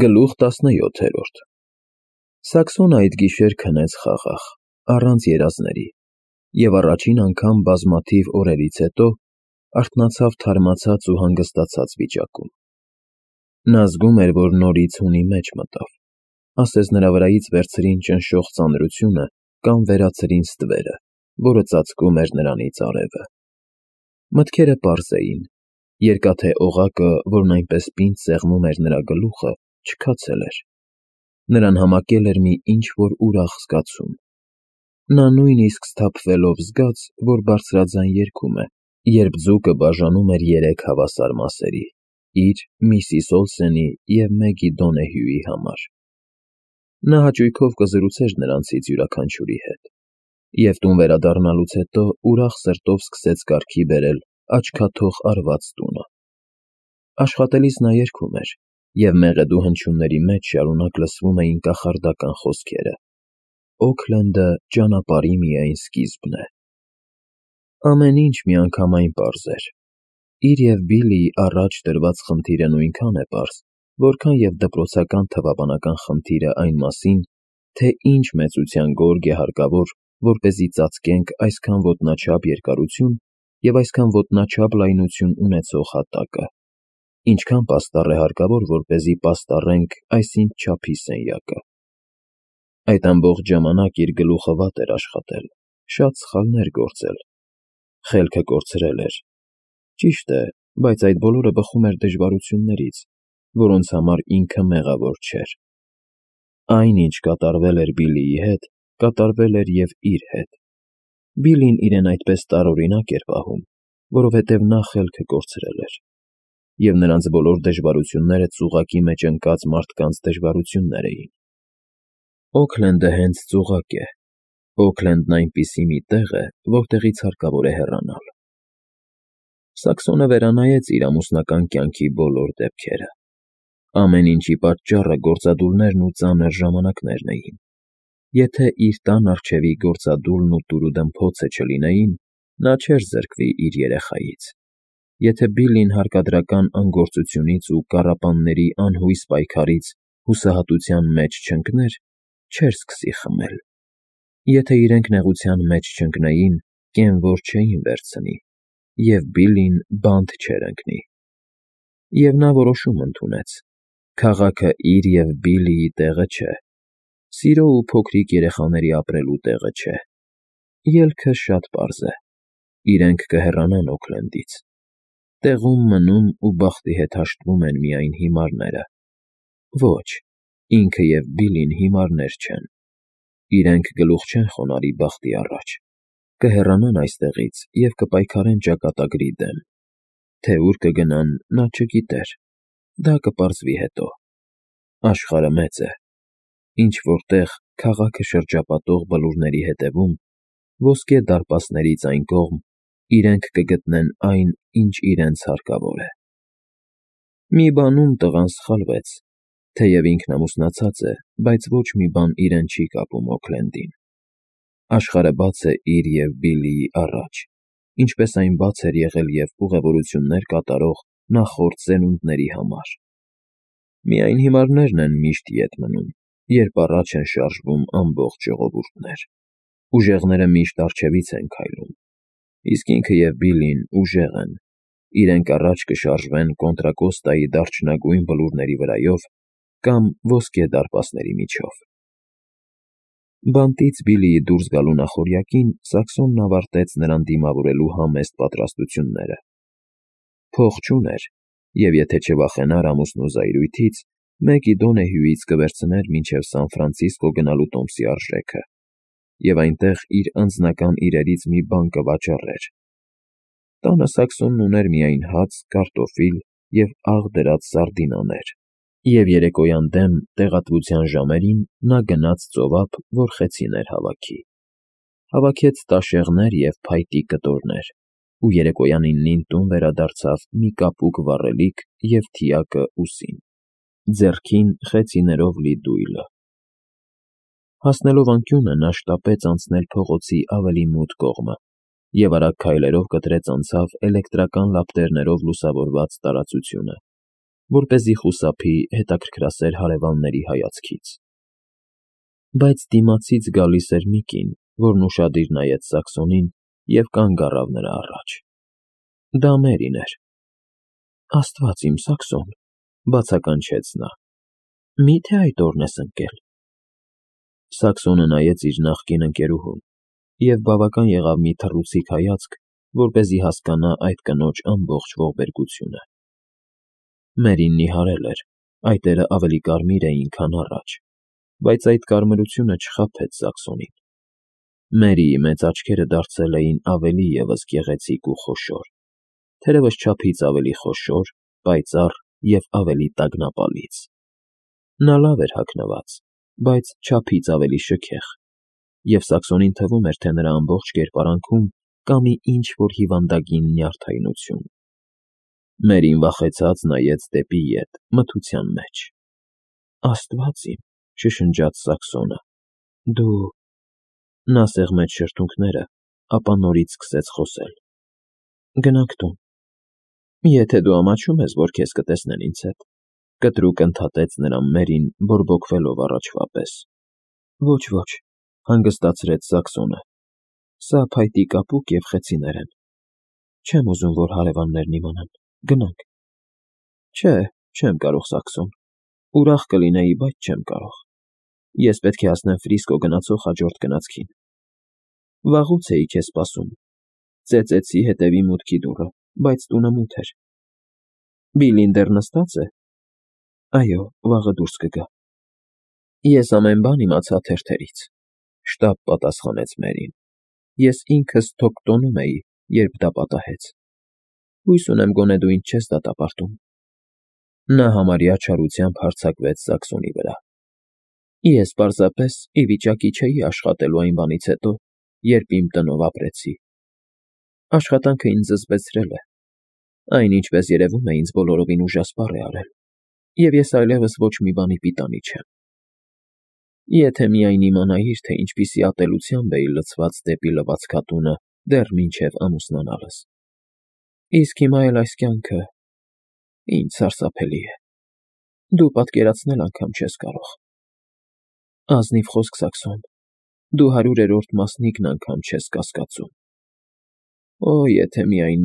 Գլուխ 17 Սաքսոնը այդ գիշեր քնեց խաղաղ, առանց երազների, և առաջին անգամ բազմաթիվ օրերից հետո արթնացավ թարմացած ու հանգստացած վիճակում։ Նա զգում էր, որ նորից հունի մեջ մտավ, ասես նրա վրայից վերցրին ճնշող ծանրությունը կամ վերացրին ստվերը, որը ծածկում էր նրանից արևը։ Մտքերը պարզ էին, երկաթե օղակը, որն այնպես պինդ սեղմում էր նրա գլուխը, չքացել էր։ Նրան համակել էր մի ինչ-որ ուրախ զգացում։ Նա նույնիսկ սթափվելով զգաց, որ բարձրաձայն երգում է, երբ ձուկը բաժանում էր երեք հավասար մասերի՝ իր, Միսիս Օլսենի և Մեգի Դոնեհյուի համար։ Նա հաճույքով կզրուցեր նրանցից յուրաքանչյուրի հետ, և տուն վերադառնալուց հետո ուրախ սրտով սկսեց կարգի բերել աչքաթող արված տունը։ Աշխատելիս նա երգում էր, և մեղեդու հնչյունների մեջ շարունակ լսվում էին կախարդական խոսքերը. «Օքլենդը ճանապարհի միայն սկիզբն է»։ Ամեն ինչ միանգամայն պարզ էր։ Իր և Բիլլիի առաջ դրված խնդիրը նույնքան է պարզ, որքան և դպրոցական թվաբանական խնդիրը այն մասին, թե ինչ մեծության գորգ է հարկավոր, որպեսզի ծածկենք այսքան ոտնաչափ երկարություն և այսքան ոտնաչափ լայնություն ունեցող հատակը, ինչքան պաստառ է հարկավոր, որպեսզի պաստառենք այսինչ չափի սենյակը։ Այդ ամբողջ ժամանակ իր գլուխը վատ էր աշխատել, շատ սխալներ գործել, խելքը կորցրել էր։ Ճիշտ է, բայց այդ բոլորը բխում էր դժվարություններից, որոնց համար ինքը մեղավոր չէր։ Այն, ինչ կատարվել էր Բիլլիի հետ, կատարվել էր և իր հետ։ Բիլլին իրեն այդպես տարօրինակ էր պահում, որովհետև նա խելքը կորցրել էր, և նրանց բոլոր դժվարությունները ծուղակի մեջ ընկած մարդկանց դժվարություններ էին։ Օքլենդը հենց ծուղակ է։ Օքլենդն այնպիսի մի տեղ է, որտեղից հարկավոր է հեռանալ։ Սաքսոնը վերանայեց իր ամուսնական կյանքի բոլոր դեպքերը։ Ամեն ինչի պատճառը գործադուլներն ու ծանր ժամանակներն էին։ Եթե իր տան առջևի գործադուլն ու տուրուդմփոցը չլինեին, նա չէր զրկվի իր երեխայից։ Եթե Բիլլին հարկադրական անգործությունից ու կառապանների անհույս պայքարից հուսահատության մեջ չընկներ, չէր սկսի խմել։ Եթե իրենք նեղության մեջ չընկնեին, կենվոր չէին վերցնի, և Բիլլին բանտ չէր ընկնի։ Եվ նա որոշում ընդունեց. քաղաքը իր և Բիլլիի տեղը չէ, սիրո ու փոքրիկ երեխաների ապրելու տեղը չէ։ Ելքը շատ պարզ է. իրենք կհեռանան Օքլենդից։ Տեղում մնում ու բախտի հետ հաշտվում են միայն հիմարները։ Ոչ, ինքը և Բիլլին հիմարներ չեն։ Իրենք գլուխ չեն խոնարհի բախտի առաջ։ Կհեռանան այստեղից և կպայքարեն ճակատագրի դեմ։ Թե ուր կգնան, նա չգիտեր։ Դա կպարզվի հետո։ Աշխարհը մեծ է։ Ինչ֊որ տեղ, քաղաքը շրջապատող բլուրների հետևում, ոսկե դարպասներից այն կողմ, իրենք կգտնեն այն, ինչ իրենց հարկավոր է։ Մի բանում տղան սխալվեց, թեև ինքն ամուսնացած է, բայց ոչ մի բան իրեն չի կապում Օքլենդին։ Աշխարհը բաց է իր և Բիլլիի առաջ, ինչպես այն բաց էր եղել և ուղևորություններ կատարող նախորդ սերունդների համար։ Միայն հիմարներն են միշտ ետ մնում, երբ առաջ են շարժվում ամբողջ ժողովուրդներ։ Ուժեղները միշտ առջևից են քայլում, իսկ ինքը և Բիլլին ուժեղ են։ Իրենք առաջ կշարժվեն Կոնտրակոստայի դարչնագույն բլուրների վրայով կամ ոսկե դարպասների միջով։ Բանտից Բիլլիի դուրս գալու նախօրյակին Սաքսոնն ավարտեց նրան դիմավորելու համեստ պատրաստությունները։ Փող չուներ, և եթե չվախենար ամուսնու զայրույթից, Մեգի Դոնեհյուից կվերցներ մինչև Սան Ֆրանցիսկո գնալու տոմսի արժեքը, և այնտեղ իր անձնական իրերից մի բան կվաճառեր։ Տանը Սաքսոնն ուներ միայն հաց, կարտոֆիլ և աղ դրած սարդինաներ, և երեկոյան դեմ տեղատվության ժամերին նա գնաց ծովափ, որ խեցիներ հավաքի։ Հավաքեց տաշեղներ և փայտի կտորներ ու երեկոյան 9-ին տուն վերադարձավ մի կապուկ վառելիք և թիակը ուսին, ձեռքին խեցիներով լի դույլը։ Հասնելով անկյունը նա շտապեց անցնել փողոցի ավելի մութ կողմը և արագ քայլերով կտրեց անցավ էլեկտրական լապտերներով լուսավորված տարածությունը, որպեսզի խուսափի հետաքրքրասեր հարևանների հայացքից։ Բայց դիմացից գալիս էր մի կին, որն ուշադիր նայեց Սաքսոնին և կանգ առավ նրա առաջ։ Դա Մերին էր։ «Աստված իմ, Սաքսոն,» բացականչեց նա, «մի՞թե այդ օրն ես ընկել»։ Սաքսոնը նայեց իր նախկին ընկերուհուն, և բավական եղավ մի թռուցիկ հայացք, որպեսզի հասկանա այդ կնոջ ամբողջ ողբերգությունը։ Մերին նիհարել էր, այտերը ավելի կարմիր էին, քան առաջ, բայց այդ կարմրությունը չխաբեց Սաքսոնին։ Մերիի մեծ աչքերը դարձել էին ավելի ևս գեղեցիկ ու խոշոր, թերևս չափից ավելի խոշոր, պայծառ և ավելի տագնապալից։ Նա լավ էր հագնված, բայց չափից ավելի շքեղ, և Սաքսոնին թվում էր, թե նրա ամբողջ կերպարանքում կա մի ինչ-որ հիվանդագին նյարդայնություն։ Մերին վախեցած նայեց դեպի ետ, մթության մեջ։ «Աստված իմ,» շշնջաց Սաքսոնը, «դու…»։ Նա սեղմեց շրթունքները, ապա նորից սկսեց խոսել. «Գնանք տուն»։ «Եթե դու ամաչում ես, որ քեզ կտեսնեն ինձ հետ,» կտրուկ ընդհատեց նրան Մերին, բորբոքվելով առաջվա պես։ «Ոչ, հանգստացրեց Սաքսոնը, սա փայտի կապուկ և խեցիներ են։ Չեմ ուզում, որ հարևաններն իմանան, գնանք»։ «Չէ, չեմ կարող, Սաքսոն, ուրախ կլինեի, բայց չեմ կարող։ Ես պետք է հասնեմ Ֆրիսկո գնացող հաջորդ գնացքին։ Վաղուց էի քեզ սպասում, ծեծեցի հետևի մուտքի դուռը, բայց տունը մութ էր։ Բիլին դեռ նստած է։ Այո, վաղը դուրս կգա։ Ես ամեն բան իմացա թերթերից,» շտապ պատասխանեց Մերին։ «Ես ինքս թոք տոնում էի, երբ դա պատահեց։ Հույս ունեմ գոնե դու ինձ չես դատապարտում»։ Նա համարյա չարությամբ հարձակվեց Սաքսոնի վրա։ «Ես պարզապես ի վիճակի չէի աշխատելու այն բանից հետո, երբ իմ տնով ապրեցի։ Աշխատանքը ինձ զզվեցրել է։ Այն, ինչպես երևում է, ինձ բոլորովին ուժասպառ է արել, և ես այլևս ոչ մի բանի պիտանի չեմ։ Եթե միայն իմանայիր, թե ինչպիսի ատելությամբ էի լցված դեպի լվացքատունը դեռ մինչև ամուսնանալս։ Իսկ հիմա էլ այս կյանքը… ինչ սարսափելի է… Դու պատկերացնել անգամ չես կարող։ Ազնիվ խոսք, Սաքսոն, դու 100-րդ մասնիկն անգամ չես կասկածում։ Օ, եթե միայն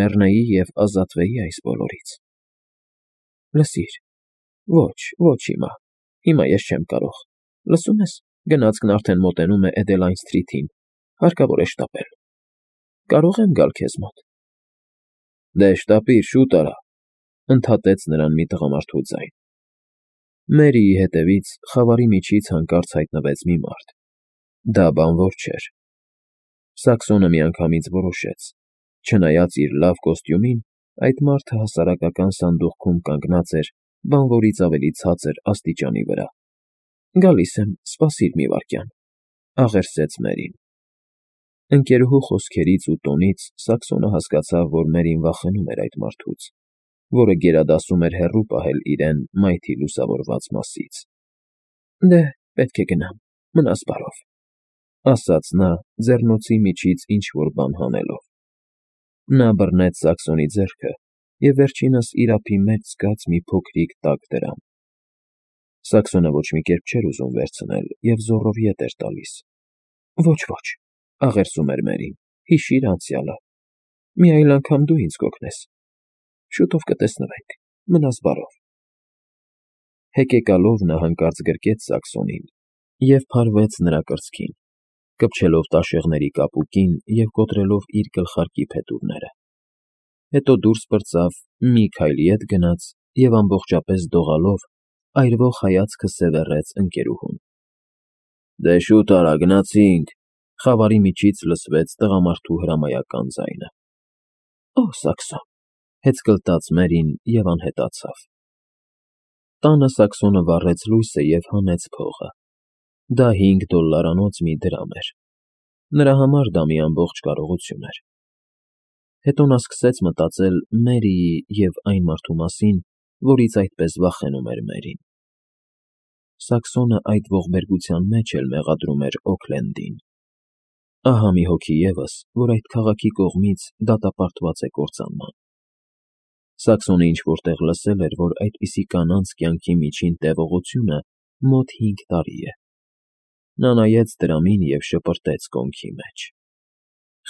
մեռնեի և ազատվեի այս բոլորից։ Լսիր… Ոչ հիմա ես չեմ կարող։ Լսում ես, գնացքն արդեն մոտենում է Էդելայն Սթրիթին, հարկավոր է շտապել։ Կարո՞ղ եմ գալ քեզ մոտ։ Դե շտապիր, շուտ արա, ընդհատեց նրան մի տղամարդու ձայն։ Մերիի հետևից խավարի միջից հանկարծ հայտնվեց մի մարդ։ Դա բանվոր չէր։ Սաքսոնը միանգամից որոշեց. չնայած իր լավ կոստյումին, այդ մարդը հասարակական սանդուղքում կանգնած էր բանվորից ավելի ցածր աստիճանի վրա։ Գալիս եմ, սպասիր մի վայրկյան, աղերսեց Մերին։ Ընկերուհու խոսքերից ու տոնից Սաքսոնը հասկացավ, որ Մերին վախենում էր այդ մարդուց, որը գերադասում էր հեռու պահել իրեն մայթի լուսավորված մասից։ Դե, պետք է գնամ, մնաս բարով, ասաց նա, ձեռնոցի միջից ինչ-որ բան հանելով։ Նա բռնեց Սաքսոնի ձեռքը և վերջինս իր ափի մեջ զգաց մի փոքրիկ տաք դրամ։ Սաքսոնը ոչ մի կերպ չէր ուզում վերցնել և զոռով ետ էր տալիս։ Ոչ, աղերսում էր Մերին, հիշիր անցյալը։ Մի այլ անգամ դու ինձ կօգնես։ Շուտով կտեսնվենք, մնաս բարով։ Հեկեկալով նա հանկարծ գրկեց Սաքսոնին և փարվեց նրա կրծքին, կպչելով տաշեղների կապուկին և կոտրելով իր գլխարկի փետուրները։ Հետո դուրս պրծավ, մի քայլ ետ գնաց և ամբողջապես դողալով այրվող հայացքը սևեռեց ընկերուհուն։ Դե շուտ արա, գնացինք, խավարի միջից լսվեց տղամարդու հրամայական ձայնը։ Օ, Սաքսոն, հեծկլտաց Մերին և անհետացավ։ Տանը Սաքսոնը վառեց լույսը և հանեց փողը։ Դա $5 մի դրամ էր։ Նրա համար դա մի ամբողջ կարողություն էր։ Հետո նա սկսեց մտածել Մերիի և այն մարդու մասին, որից այդպես վախենում էր Մերին։ Սաքսոնը այդ ողբերգության մեջ էլ մեղադրում էր Օքլենդին։ Ահա մի հոգի ևս, որ այդ քաղաքի կողմից դատապարտված է կործանման։ Սաքսոնը ինչ-որ տեղ լսել էր, որ այդպիսի կանանց կյանքի միջին տևողությունը մոտ 5 տարի է։ Նա նայեց դրամին և շպրտեց կոնքի մեջ։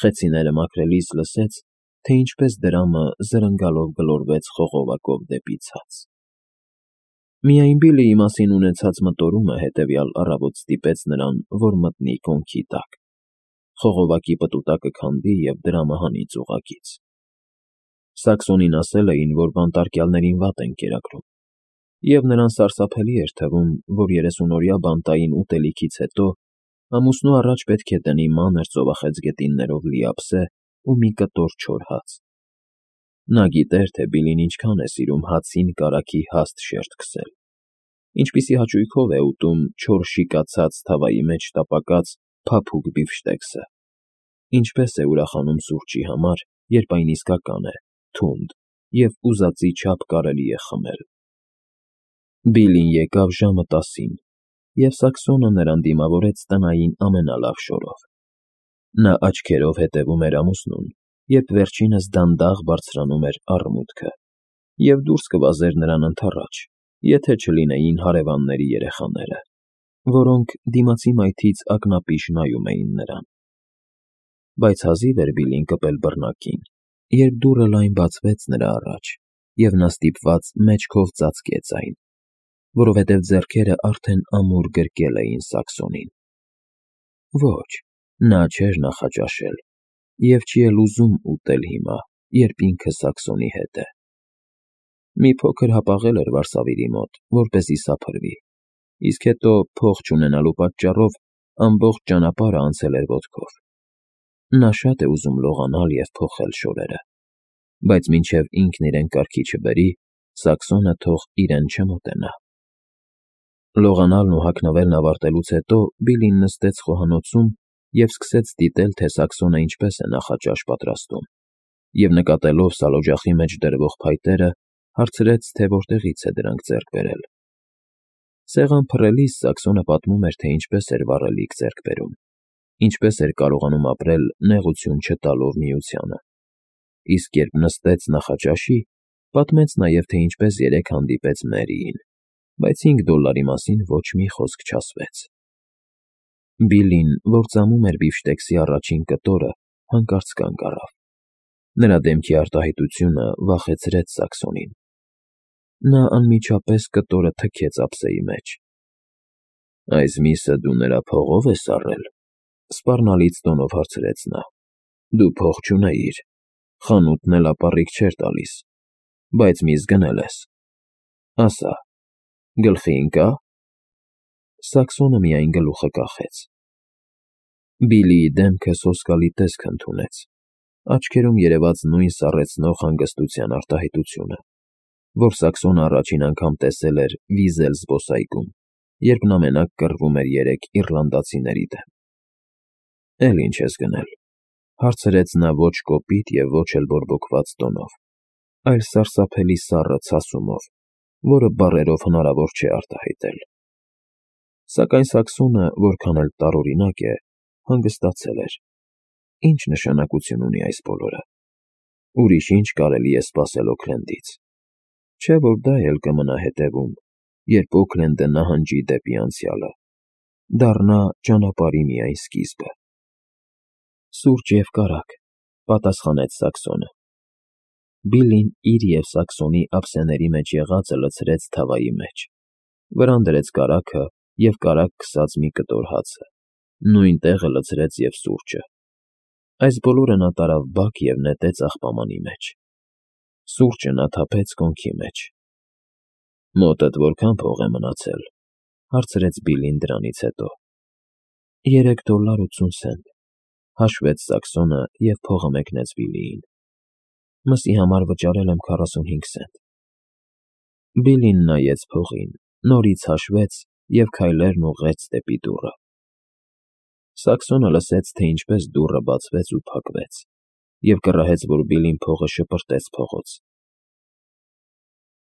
Խեցիները մաքրելիս լսեց, թե ինչպես դրամը զրնգալով գլորվեց խողովակով դեպի ցած։ Միայն Բիլիի մասին ունեցած մտորումը հետևյալ առավոտ ստիպեց նրան, որ մտնի կոնքի տակ, խողովակի պտուտակը քանդի և դրամը հանի ծուղակից։ Սաքսոնին ասել էին, որ բանտարկյալներին վատ են կերակրում, և նրան սարսափելի էր թվում, որ 30-օրյա բանտային ուտելիքից հետո ամուսնու առաջ պետք է դնի մանր ծովախեցգետիններով լի ափսե ու մի կտոր չոր հաց։ Նա գիտեր, թե Բիլին ինչքան է սիրում հացին կարագի հաստ շերտ քսել, ինչպիսի հաճույքով է ուտում չոր շիկացած թավայի մեջ տապակած փափուկ բիֆշտեքսը, ինչպես է ուրախանում սուրճի համար, երբ այն իսկական է, թունդ և ուզածի չափ կարելի է խմել։ Բիլին եկավ ժամը 10-ին, և Սաքսոնը նրան դիմավորեց տնային ամենալավ շորով։ Նա աչքերով հետևում էր ամուսնուն, երբ վերջինս դանդաղ բարձրանում էր առմուտքը, և դուրս կվազեր նրան ընդառաջ, եթե չլինեին հարևանների երեխաները, որոնք դիմացի մայթից ակնապիշ նայում էին նրան։ Բայց հազիվ էր Բիլին կպել բռնակին, երբ դուռը լայն բացվեց նրա առաջ, և նա ստիպված մեջքով ծածկեց այն, որովհետև ձեռքերը արդեն ամուր գրկել էին Սաքսոնին։ Ոչ, նա չէր նախաճաշել և չի էլ ուզում ուտել հիմա, երբ ինքը Սաքսոնի հետ է։ Մի փոքր հապաղել էր վարսավիրի մոտ, որպեսզի սափրվի, իսկ հետո փող չունենալու պատճառով ամբողջ ճանապարհը անցել էր ոտքով։ Նա շատ է ուզում լողանալ և փոխել շորերը, բայց մինչև ինքն իրեն կարգի չբերի, Սաքսոնը թող իրեն չմոտենա։ Լողանալն ու հագնվելն ավարտելուց հետո Բիլին նստեց խոհանոցում և սկսեց դիտել, թե Սաքսոնը ինչպես է նախաճաշ պատրաստում, և նկատելով սալօջախի մեջ դրվող փայտերը, հարցրեց, թե որտեղից է դրանք ձեռք բերել։ Սեղան փռելիս Սաքսոնը պատմում էր, թե ինչպես էր վառելիք ձեռք բերում, ինչպես էր կարողանում ապրել նեղություն չտալով Միությանը, իսկ երբ նստեց նախաճաշի, պատմեց նաև, թե ինչպես երեկ հանդիպեց Մերիին, բայց $5 մասին ոչ մի խոսք չասվեց։ Բիլին, որ ծամում էր բիֆշտեքսի առաջին կտորը, հանկարծ կանգ առավ։ Նրա դեմքի արտահայտությունը վախեցրեց Սաքսոնին։ Նա անմիջապես կտորը թքեց ափսեի մեջ։ «Այս միսը դու նրա փողով ես առել,» սպառնալից տոնով հարցրեց նա։ «Դու փող չունեիր, խանութն էլ ապառիկ չէր տալիս, բայց միս գնել ես։ Ասա, գլխի ընկա՞ր»։ Սաքսոնը միայն գլուխը կախեց։ Բիլիի դեմքը սոսկալի տեսք ընդունեց, աչքերում երևաց նույն սառեցնող հանգստության արտահայտությունը, որ Սաքսոնը առաջին անգամ տեսել էր Վիզել զբոսայգում, երբ նա մենակ կռվում էր 3 իռլանդացիների դեմ։ «Էլ ինչ ես գնել,» հարցրեց նա ոչ կոպիտ և ոչ էլ բորբոքված տոնով, այլ սարսափելի սառը ցասումով, որը բառերով հնարավոր չէ արտահայտել։ Սակայն Սաքսոնը, որքան էլ տարօրինակ է, հանգստացել էր։ Ինչ նշանակություն ունի այս բոլորը։ Ուրիշ ինչ կարելի է սպասել Օքլենդից։ Չէ՞ որ դա էլ կմնա հետևում, երբ Օքլենդը նահանջի դեպի անցյալը, դառնա ճանապարհի միայն սկիզբը։ «Սուրճ և կարագ,» պատասխանեց Սաքսոնը։ Բիլին իր և Սաքսոնի ափսեների մեջ եղածը լցրեց թավայի մեջ, վրան դրեց կարագը և կարագ քսած մի կտոր հացը, նույն տեղը լցրեց և սուրճը։ Այս բոլորը նա տարավ բակ և նետեց աղբամանի մեջ։ Սուրճը նա թափեց կոնքի մեջ։ «Մոտդ որքան փող է մնացել,» հարցրեց Բիլին դրանից հետո։ $3.80, հաշվեց Սաքսոնը և փողը մեկնեց Բիլիին։ Մսի համար վճարել եմ 45 սենտ։ Բիլին նայեց փողին, նորից հաշվեց և քայլերն ուղղեց դեպի դուռը։ Սաքսոնը լսեց, թե ինչպես դուռը բացվեց ու փակվեց, և կռահեց, որ Բիլին փողը շպրտեց փողոց,